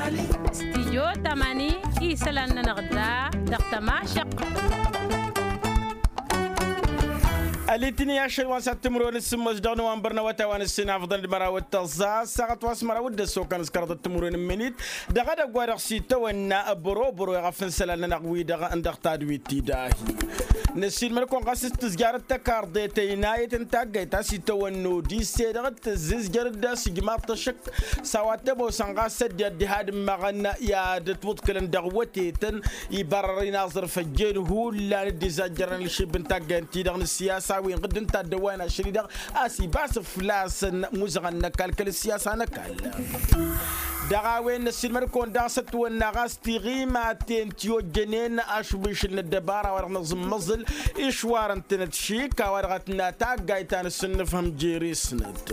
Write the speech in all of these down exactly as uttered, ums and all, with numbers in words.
Stijyo tamani isălan-nănăɣ da dăɣ-tămašăq. Ălitini ašăl wa n-sat timǝrwen s-sǝmmos dăɣ-nowănbăr n-awătay wa n-ǝssin afḍăn d-măraw d-tăẓẓa ăssaɣăt wa s-măraw d-ăssokăn s-kăraḍăt timǝrwen n-imǝnit dăɣ-edăgg wa dăɣ-s itawănna băro-băro i-ɣăf n-isălan-nănăɣ wi-dăɣ n-dăɣ tadwit ti-dahi. Năssiilmăd-kăwăn ɣas s-tǝzjarăt tăkarḍe tăynayăt n-taggayt a-s itawănna odise dăɣ-t tǝzzǝzjăr-dd a-s ijmaḍ-t ăššăk s-a-wa t-ămoosăn ɣas ăddinăt diha d-immăɣăn i-ad-ătwǝḍkǝlăn dăɣ-wătetăn ibarrăr-in aẓrǝf ăjjeen hullan dd-izajjărăn ălšib n-taggayt-ti-dăɣ n-ǝssiyasa wi n-ɣǝdd n-taddăwwayăn ašăl-i-dăɣ. A-s ibas fălla-săn muzăɣăn n-ăkall kăl-ǝssiyasa n-ăkall. Dăɣ-a-wen năssiilmăd-kăwăn daɣ s-ătwănna ɣas tiɣimaten ti-ojjănen ašbušǝl n-ăddăbara wa dăɣ-năẓǝmmăẓǝl išwarăn-tănăt šik a-wa dăɣ-ătna taggayt ta n-asǝnnǝfhăm jere-snăt.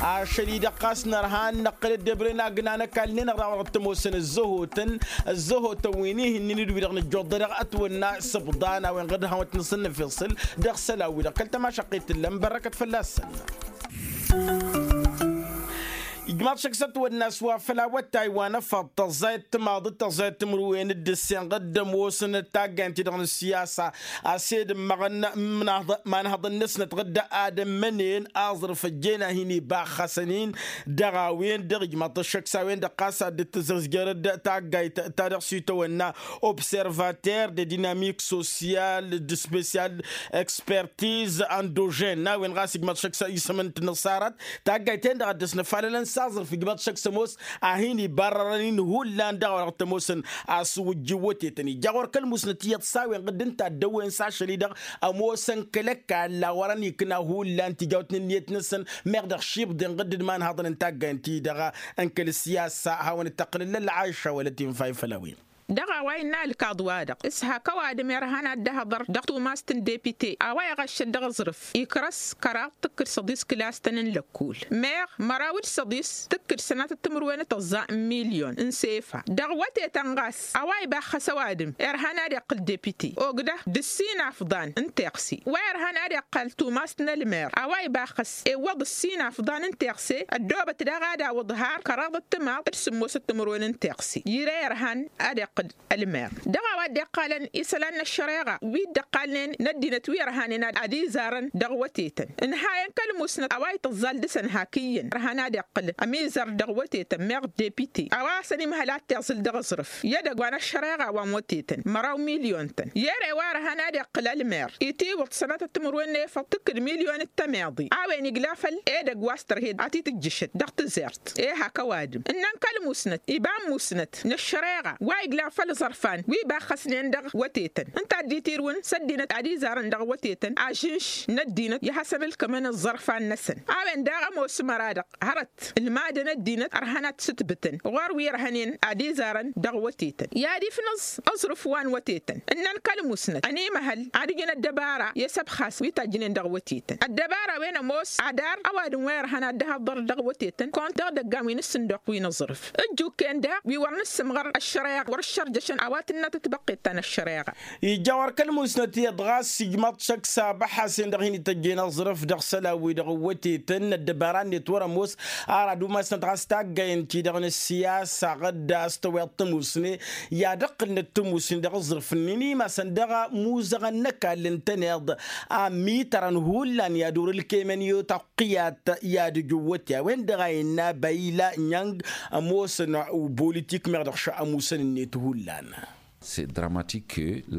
Ašăl-i-dăɣ ɣas nărha n-năqqǝl ăddebren agna n-ăkall-nin-dăɣ daɣ wa dăɣ-t-ămoosăn ǝzzăhotăn ǝzzăhotăn wi n-ihǝnnin d-wi-dăɣ nǝjjoḍ-dăɣ ătwănna s-ǝbḍan a-wen ɣǝd hawăn-t-nǝsǝnnǝfeṣǝl dăɣ-isălan-wi-dăɣ kăl-tămašăqqit t-ǝllan bărrăkăt fălla-săn. Ijmaḍ šăkk s-ătwănna s-wa făll-awătay wa n-efăḍ tăẓẓayăt timaḍ d-tăẓẓayăt timǝrwen d-ǝssin ɣǝd ămoosăn d-taggayăn-ti-dăɣ n-ǝssiyasa a-s ed ǝmmăɣăn imanhăḍăn-năsnăt ɣǝd ad-ămmănen aẓrǝf ăjjeen a hin-ibaxxăsăn-in. Dăɣ-a-wen-dăɣ ijmaḍ-t ăššăk s-a-wen-dăɣ ɣas ad-dd-tǝzǝzjăr d-taggayt ta dăɣ-s itawănna observater de dinamik sosyal d-spesyal expertiz andožen n-a-wen ɣas ijmaḍ-t šăkk s-isǝm n-tinǝṣṣarat taggayt-en-dăɣ a dd-ăsnăfalălăn s-aẓrǝf ijmaḍ-t šăkk s-ămoos a hin-ibarrărăn-in hullan dăɣ-a-wa dăɣ-t-ămoosăn. A-s wǝjjǝw wătetăn ija ɣur-kăl-musnăt iyyăḍ s-a-wen ɣǝdd n-taddăwwen s-ašăl-i-dăɣ ămoosăn kăl-ăkall a wărăn ikna hullan tijawt n-ǝnniyăt-năsăn meɣ dăɣ-šibḍen ɣǝdd d-imanhaḍăn n-taggayt-ti-dăɣ n-kăl-ǝssiyasa a hawăn-dd-tăqqǝlǝl ălɣayša wăla tinfay făll-a-wen. Dăɣ-a-wa innă ălkaḍ-wa-dăɣ s-hak ăwadǝm irhan ad-dd-ăhḍăr dăɣ-tumast n-depite a-wa iɣăššăd dăɣ-aẓrǝf ikrăs kăraḍ tǝkkǝd săḍis kǝlastăn n-lăkkul meɣ măraw d-săḍis tǝkkǝd sănatăt timǝrwen d-tăẓẓa n-milyon n-sefa dăɣ-wătetăn ɣas a-wa ibaxxăs ăwadǝm irhan ad-iqqǝl depite ogdăh d-ǝssin afḍan n-teɣse wa irhan ad-iqqăl tumast n-ălmer a-wa ibaxxăs iwwăḍ ǝssin afḍan n-teɣse ăddoobăt daɣ ad-awǝḍ har kăraḍăt timaḍ d-sǝmmosăt timǝrwen n-teɣse ire irhan ad-iqqǝl ălmer dăɣ-a-wa dd-iqqalăn isălan n-ăššăreɣa wi dd-ăqqalnen n-ăddinăt wi ărhanen ad-izarăn dăɣ-wătetăn ǝnhayăn kăl-musnăt a-wa itǝẓẓal dăɣ-săn hak iyyăn ărhan ad-iqqǝl ămizăr dăɣ-wătetăn meɣ depite a-wa s-ănimhăl ad-t-iẓǝl dăɣ-aẓrǝf i-edăgg wa n-ăššăreɣa wa n-wătetăn măraw milyun-tăn i-ere wa ărhan ad-iqqǝl ălmer itiwǝḍ sănatăt timǝrwen n-efăḍ tǝkkǝd milyun d-tămeḍe a-wen igla făll-edăgg wa s-tărhed ad-t-tǝjjǝšăt dăɣ-tǝzert e-hak ăwadǝm ǝnnăn kăl-musnăt iba n-musnăt n-ăššăreɣa wa iglan făll-iẓărfan wi ibaxxăsnen dăɣ-wătetăn ǝnta a dd-itirǝwăn s-ăddinăt ad-izarăn dăɣ-wătetăn ažǝnš n-ăddinăt i-ad-hasăn-ǝlkǝmăn ǝẓẓărfan-năsăn a-wen daɣ ămoos măra-dăɣ hărăt ǝlmadăn ăddinăt ărhăn ad-t-sǝtbǝtăn ɣur-wi ărhănen ad-izarăn dăɣ-wătetăn i-ad-ifnǝẓ aẓrǝf wa n-wătetăn ǝnnăn kăl-musnăt ănimăhăl ad-ǝjǝn ăddăbara i-asăbxas wi tajjǝnen dăɣ-wătetăn ăddăbara-wen ămoos adar ăwadǝm wa irhăn ad-dd-ăhăḍḍăr dăɣ-wătetăn kăwăn-t dăɣ-idăggan wi n-ǝssǝnduq wi n-aẓrǝf ǝjjukken daɣ wi wăr nǝssǝmɣăr ăššăreɣa wăr-ǝššărjăšăn a-wa tǝnna tatbăqqet ta n-ăššăreɣa. Ija wăr kăl-musnăt iyyăḍ ɣas ijmaḍ-t šăkk s-abăḥasen dăɣ-hin-ităjjen aẓrǝf dăɣ-isălan-wi-dăɣ n-wătetăn ăddăbara-net wăr-ămoos. Ar ad-umasnăt ɣas taggay ǝnta-i-dăɣ n-ǝssiyasa ɣǝdda a-s tăweḍ tămusne i-ad-ǝqqǝlnăt tămusne dăɣ-aẓrǝf-nin imasăn dăɣ-imuzăɣăn n-ăkall ǝntăneḍ a ǝmmitărăn hullan i-ad-ur-ǝlkemăn i-otăqqiyat i-ad-ǝjǝwwăt i-a-wen-dăɣ a innă bayla nyang ămoosăn ubulitik meɣ dăɣ-šăɣ ămusăn-net hullan.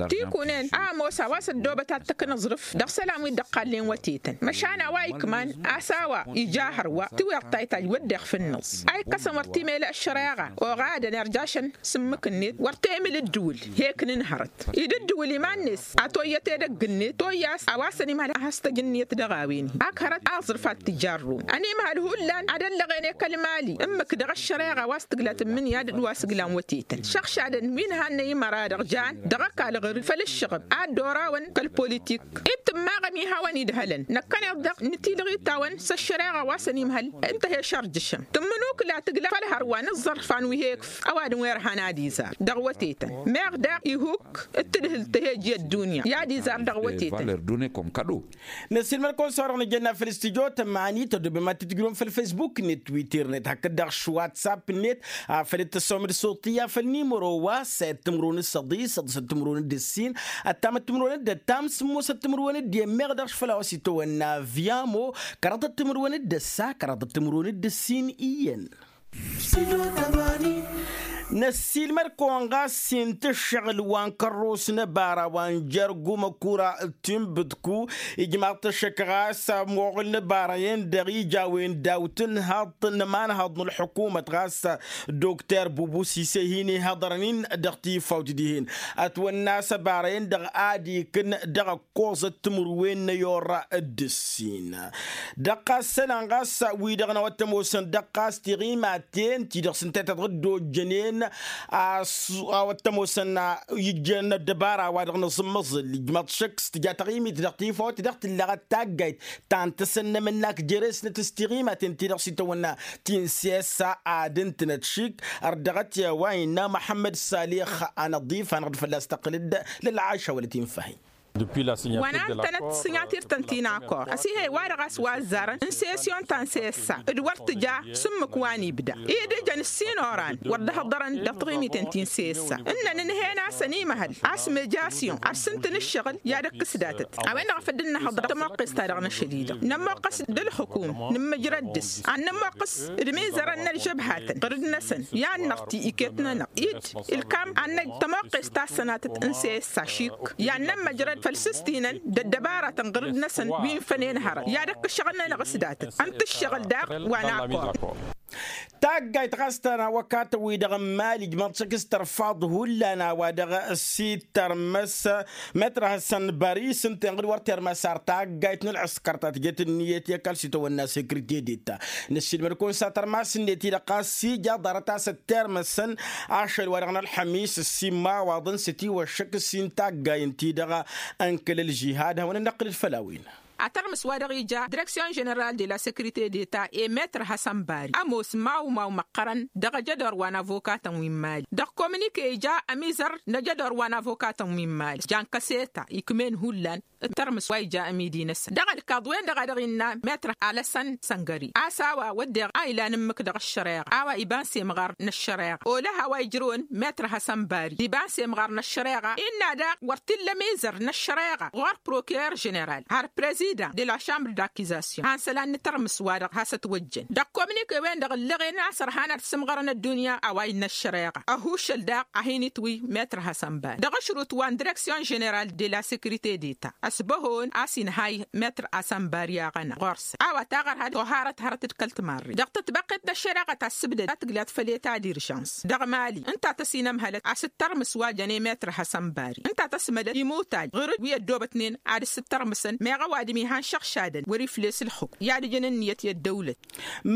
Tikunen a ămoos a-wa s-ăddoobăt ad-t-ăkk n-aẓrǝf dăɣ-isălan wi dd-ăqqalnen wătetăn măšan a-wa ikman a-s a-wa ija hărwa tiweḍ taytaj wădden fǝnnăẓ a ikkăsăn wăr timele ăššăreɣa oɣadăn irjašăn s-ǝmmǝk-net wăr temǝl ǝddǝwǝl hek n-inhărăt idǝddǝwǝl iman-net a toyyăt edăgg-net toyya a-s a-wa s-ănimhăl ad-has-tăj ǝnniyăt dăɣ-a-wen-hi ak hărăt aẓrǝf ad-t-jarrun ănimhăl hullan ad-ăllăɣen i-kăl-mali ǝmmǝk dăɣ-ăššăreɣa wa s-tǝgla tǝmmǝnǝya d-wa s-ǝglan wătetăn šăɣšadăn wi n-hannăy imăra a-dăɣ jan dăɣ-ăkall ɣǝr făll-ǝššăɣǝb ad-dd-orawăn kăl-politik. Ib tǝmmaɣăm ihawăn-idhălăn năkkăneḍ-dăɣ nǝtilɣǝy-tawăn s-ăššăreɣa wa săn imhăl. Ǝnta he-šărjǝšăm tǝmmǝnukǝla tǝgla făll-hărwa n-ǝẓẓărfan wi he-ikf ăwadǝm wi ărhan ad-izar dăɣ-wătetăn. Meɣ daɣ ihuk d-tǝdhǝlt he-iji ăddunya i-ad-izar dăɣ-wătetăn. Năssiilmăd-kăwăn s-a-wa-dăɣ nǝjănna făll-studyo tămani tădobem ad-t-tǝjrǝwăm făll-facebook-net twitter-net hakd-dăɣ š-whatsapp-net. Afăl dd-tăssăwăm d-suṭṭǝyya făll-nimăro wa s-a i-ăttǝmrǝwăn d-săḍis săḍisăt timǝrǝwăn d-ǝssin ăttamăt timǝrǝwăn d-ăttam sǝmmosăt timǝrǝwăn d-i ămmeɣ daɣ šfăl a-wa s-itawănna vyamo. Kăraḍăt timǝrǝwăn d-ǝssa kăraḍăt timǝrǝwăn d-ǝssin iyyăn. Năssiilmăd-kăwăn ɣas s-intǝššăɣǝl wa n-kărros n-ăbara wa n-jer-gumăkura. Timbǝtku ijmaḍ-t ăššăk ɣas ămoɣǝl n-ăbara-en-dăɣ ija a-wen daw-tǝnhăḍt n-ămanhăḍ n-ălḥukumăt ɣas. Dokter bubu sise hin-ihăḍărăn-in dăɣ-tifawt dihen ătwănna a-s ăbara-en-dăɣ ad-ikǝn dăɣ-ăkkoẓăt timǝrwen n-ayorra d-ǝssin. Dăɣ-ɣas isălan ɣas wi-dăɣ n-a-wa t-ămoosăn dăɣ-ɣas tiɣimaten ti-dăɣ s-ǝnta i-ta-dăɣ dd-ojjănen. A-wa t-ămoosăn ijjăn ăddăbara-wa-dăɣ n-aẓǝmmăẓǝl ijmăḍ šăkk s-tǝja taɣimit dăɣ-tifawt dăɣ-tǝllăɣăt taggayt ta n-tăsăn n-emǝnnak jere-snăt s-tiɣimaten ti-dăɣ s-itawănna ti n-siyassa ad-ǝntǝnăt šik. Ărdăɣăt i-a-wa innă muḥămmăd salix anăḍif hanăɣ-dd fălla-s tăqqǝl-dd lălɣaša wăla tinfăhi. Wa n-antănăt s-sinyatirt-tăn ti n-akor ăsihăy wa-dăɣ a-s wa ăzzarăn n-sesyon ta n-sessa d-wăr tǝja s-ǝmmǝk wa n-ibda i-dd ijăn ǝssin oran wăr dd-hăḍărăn dăɣ-taɣimiten ti n-sessa. Ǝnnăn ǝnhen-asăn imăhăl a-s mejasyon ad-sǝntǝn ǝššăɣǝl i-ad-ǝkkǝs datăt. A-wen-dăɣ a făl dd-nǝhhăḍăr tămoqqes-ta-dăɣ n-ašăl-i-dăɣ nămoqqăs d-ǝlxǝkum nǝmmǝjrăd dăɣ-s ad-nămoqqăs d-imizărăn n-ălžăbhatăn ɣǝrǝd-năsăn i-ad-năɣti iket-nănăɣ-dd ǝlkam ad-năj tămoqqes ta s-sănatăt n-sessa šik i-ad-nămmăjrăd făll-sǝstinăn d-ăddăbaratăn ɣǝrǝd-năsăn wi n-fănen hărăt i-ad-ăkk ǝššăɣǝl-nănăɣ s-datăt ǝnta ǝššăɣǝl daɣ wa n-akor. Taggayt ɣas ta n-awăkatăn-wi-dăɣ n-imali ǝjmăḍ šăkk s-tărfaḍ hullan a-wa dăɣ-s ittărmăs metr hassan bari s-ǝnta inɣǝd wăr termăs ar taggayt n-ălɣǝskăr ta tǝjăt ǝnniyăt i-ăkall s-itawănna sekrite deta. Năssiilmăd-kăwăn s-ad-tărmas-net-i-dăɣ ɣas ija ḍarăt a-s ăttermăsăn ašăl wa dăɣ-nălxămis ǝssin imawaḍăn s-ătiwăššăk ǝssin taggayăn-ti-dăɣ n-kăl-ălžihad ad-hawăn-ănnăqqǝlăd făll-a-wen. Atărmǝs wa dăɣ-ija direksyon ženeral de la sekrite deta i-metr hassan bari ămoos mawmaw măqqărăn dăɣ-ajădor wa n-avokatăn wi n-imali dăɣ-kominike ija ămizăr n-ajădor wa n-avokatăn wi n-imali jan kăseta ikm'-en hullan. Ǝttărmǝs wa ija amidi-năsăn dăɣ-ălkaḍ-wen-dăɣ a dăɣ-innă metr alăsăn săngări a-s a-wa wădden a ilan ǝmmǝk dăɣ-ăššăreɣa a-wa iba n-semɣar n-ăššăreɣa olăh a-wa ijrǝwăn metr hassan bari iba n-semɣar n-ăššăreɣa innă daɣ wăr t-illa amizăr n-ăššăreɣa ɣur-prokirer ženeral har prezidan de la šambr d-akizasyon han isălan n-atărmǝs-wa-dăɣ has-ătwăjjăn dăɣ-kominike-wen-dăɣ ǝllăɣen a-s ărhan ad-sǝmɣărăn ăddunya a-wa innă ăššăreɣa ăhušăl daɣ a hin-itwǝy metr hassan bari dăɣ-ašrut wa n-direksyon ženeral de la sekrite deta ăsbăhon a-s inhay metr hassan bari aɣăna ɣur-săn a-wa taɣărha toharăt hărăt d-kăl-timarre dăɣ-tătbăqqet n-ăššăreɣa ta s-sǝbdăd a tǝglat făll-eta d-iržans dăɣ-mali ǝnta a tăsinămhălăt a-s ǝttărmǝs wa jănen metr hassan bari ǝnta a tăsmădăd imutaj ɣur-dd wi ăddoobătnen ad-dd-sǝttărmǝsăn meɣ ăwadǝm ihan šăɣšadăn wăr-ifles ǝlxǝkm i-ad-ǝjǝn ǝnniyăt i-ăddăwlăt.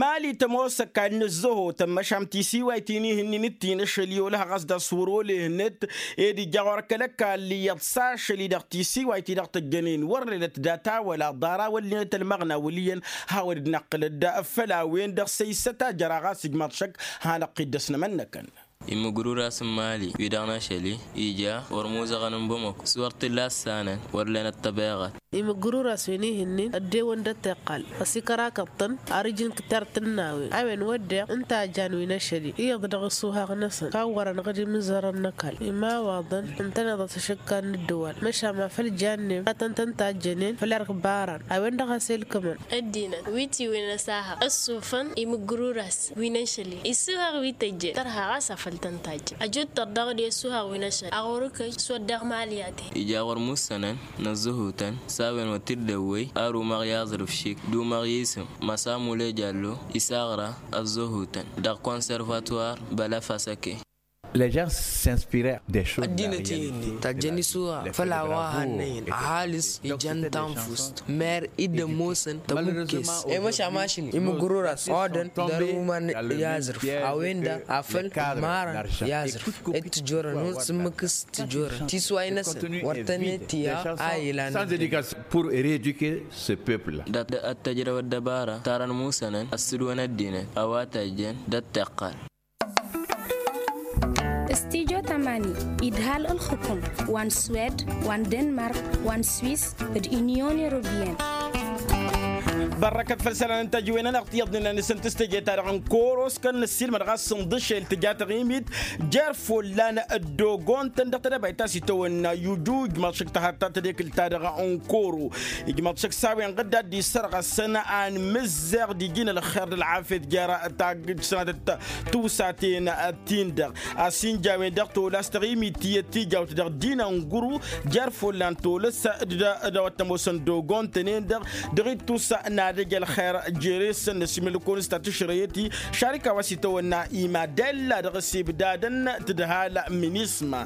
Mali tămoos ăkall n-ǝzzăhotăn măšan tisiwayt-in ihǝnnin d-ti n-ašăl i-olăh ɣas d-aswăr olehnăt ed ija ɣur-kăl-ăkall iyyăḍ s-ašăl-i-dăɣ tisiwayt-i-dăɣ tăjjănen wăr lenăt data wăla ḍara wăr lenăt ălmăɣna wăl' iyyăn. Hawăn-dd-năqqǝlăd făll-a-wen-dăɣ săy-s ătajăra ɣas ijmaḍ šăkk hanăɣ-t-dd-ăsnămănnăkăn. Imǝgrurasăn mali wi-dăɣ n-ašăl-i ija wăr muzăɣăn n-bamăko s-wăr t-illa ăssanăn wăr lenăt tăbeɣăt. Imǝgruras wi n-ihǝnnin ăddewăn d-ătiqqal ăsikărakăḍ-tăn ar ǝjǝn kǝttar tǝnnawen a-wen wădden ǝnta a jan wi n-ašăl-i iyyăḍ dăɣ-isuhaɣ-năsăn kawwărăn ɣǝd imǝzărăn n-ăkall imawaḍăn ǝntăneḍăt ašǝkkan n-ǝddǝwal măšan ma făl jannen a tăn-tăn-tajjănen făll-ărkbaran a-wen-dăɣ a-s elkǝmăn. Ăddinăt wi tiwǝyăn ăsahaɣ ăssufăn imǝgruras wi n-ašăl-i isuhaɣ wi tăjjăn tărha ɣas a făl tăn-tajjăn ăjutăr dăɣ-dd-i ăsuhaɣ wi n-ašăl-i aɣur-kăj s-wădden mali a te. Ija ɣur-mussănăn n-ăzzăhutăn s-a-wen wăr t-dd-ăwwăy ar umăɣ i-aẓrǝf šik d-umăɣ i-isǝm măsa mule jallo isaɣra ăzzăhutăn dăɣ-konsărvatwar bălăf asăke. Les gens s'inspiraient des choses. Ăddinăt-i-hi-ǝnnin tajjăn isura făll-a-wa hannăyăn ăhalǝs ijăn tanfust mer-i dd-ămoosăn tămukkes. I-măšan mašin imǝgrura-s odăn dăr-uman i-aẓrǝf a-wen-dăɣ afăl marăn i-aẓrǝf ed tǝjorăn hun s-ǝmmǝk s-tǝjorăn tisway-năsăn wăr tăn-e-tiya a ilan. Pour éduquer ce peuple-là. Dat-ăttăjrăw ăddăbara tarăn musănăn ăssǝdwăn ăddinăt a-wa tajjăn d-ăttiqqăl. Studyo tamani idhal ǝlxǝkum wa n-swed wa n-denmark wa n-swis d-unyon europeyăn. Bărrăkăt făll-isălan n-tajǝwen-nănăɣ ti iyyăḍnen a nǝsǝnt s-teje-ta-dăɣ n-kăwăr-oskan nǝssilmăd ɣas sǝnḍǝšel tǝja taɣimit jer-follan ăddogon-tăn dăɣ-tedăbayt ta s-itawănna ijuj măššăk tăhaḍ ta tedekǝlt-ta-dăɣ n-kăwăr-o ijmăḍ šăkk s-a-wen ɣǝdda dd-isărɣăsăn anmǝzzeɣ d-iji n-ălxer d-ălɣafyăt jer-tagg-sănatăt tiwsaten-tin-dăɣ a-s inja a-wen-dăɣ tolăs taɣimit tiyyăt tijawt dăɣ-dd-inănguru jer-follan tolăs d-a-wa t-ămoosăn d-ogon-tăn-en-dăɣ dăɣ-ittus n-ad-ăj ălxer jere-săn n-asimǝlkon s-ta tǝšrăyăt-i šarika wa s-itawănna imadella dăɣ-s ibdadăn tǝdhal minisma.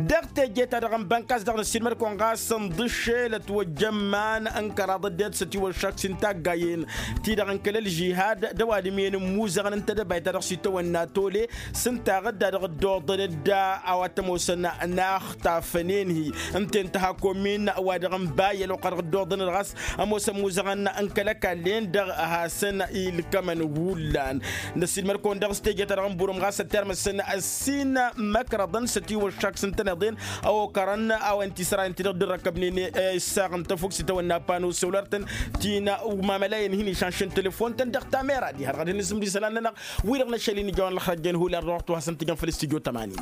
Dăɣ-teje-ta-dăɣ n-bănkas dăɣ-năssilmăd-kăwăn ɣas ǝnḍǝššelăt wăjjăn iman n-kăraḍ ăddinăt s-ătiwăššak s-intaggayen-ti-dăɣ n-kăl-ălžihad d-ăwadǝm-en n-imuzăɣăn n-tedăbayt ta dăɣ-s itawănna tole s-ǝnta ɣǝdda dăɣ-dd-oḍăn dd-a-wa t-ămoosăn n-a ăxtafănen-hi ǝnta-en tăhakomin wa dăɣ-n bayăl oqqa dăɣ-dd-oḍăn ɣas ămoosăn imuzăɣăn n-kăl-ăkall-en-dăɣ hasăn-ilkămăn hullan. Năssiilmăd-kăwăn dăɣ-s teje-ta-dăɣ n-burum ɣas ăttermăsăn ăssin imăkrăḍăn s-ătiwăššak s-ǝntăneḍ-en a okărăn a-wen tisărayăn-ti-dăɣ dd-răkkăbnen issaɣ n-tăfukt s-itawănna pano săwlăr-tăn ti n-umamălayăn hin-išănšăn telefon-tăn dăɣ-tamera diha-dăɣ ad-hin-nǝsǝmd isălan-nănăɣ wi-dăɣ n-ašăl-i n-ijawăn ălxărăjjăn hullan dăɣ-ăɣtu hasăn-tǝjăn făll-studyo tămani.